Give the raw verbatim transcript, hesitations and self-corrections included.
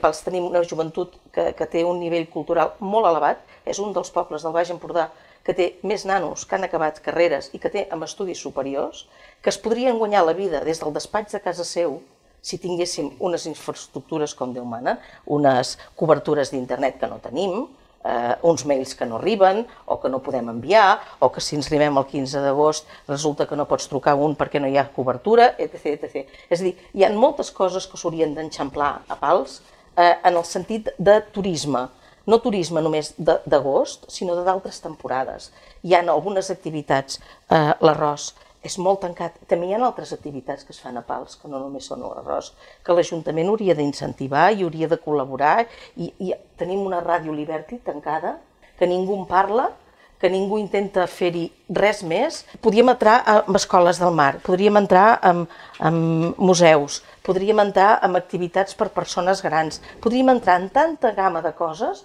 Pals tenim una joventut que, que té un nivell cultural molt elevat, és un dels pobles del Baix Empordà que té més nanos que han acabat carreres i que té amb estudis superiors, que es podrien guanyar la vida des del despatx de casa seu si tinguéssim unes infraestructures com Déu mana, unes cobertures d'internet que no tenim, Uh, uns mails que no arriben o que no podem enviar, o que si ens arribem el quinze d'agost resulta que no pots trucar un perquè no hi ha cobertura, etcètera etcètera. És a dir, hi ha moltes coses que s'haurien d'enxamplar a Pals uh, en el sentit de turisme, no turisme només d'agost, sinó d'altres temporades. Hi ha algunes activitats, uh, l'arròs és molt tancat, també hi ha altres activitats que es fan a Pals, que no només són l'arròs, que l'Ajuntament hauria d'incentivar i hauria de col·laborar, i, i tenim una ràdio Liberty tancada, que ningú en parla, que ningú intenta fer-hi res més. Podríem entrar en escoles del mar, podríem entrar en, en museus, podríem entrar en activitats per persones grans, podríem entrar en tanta gamma de coses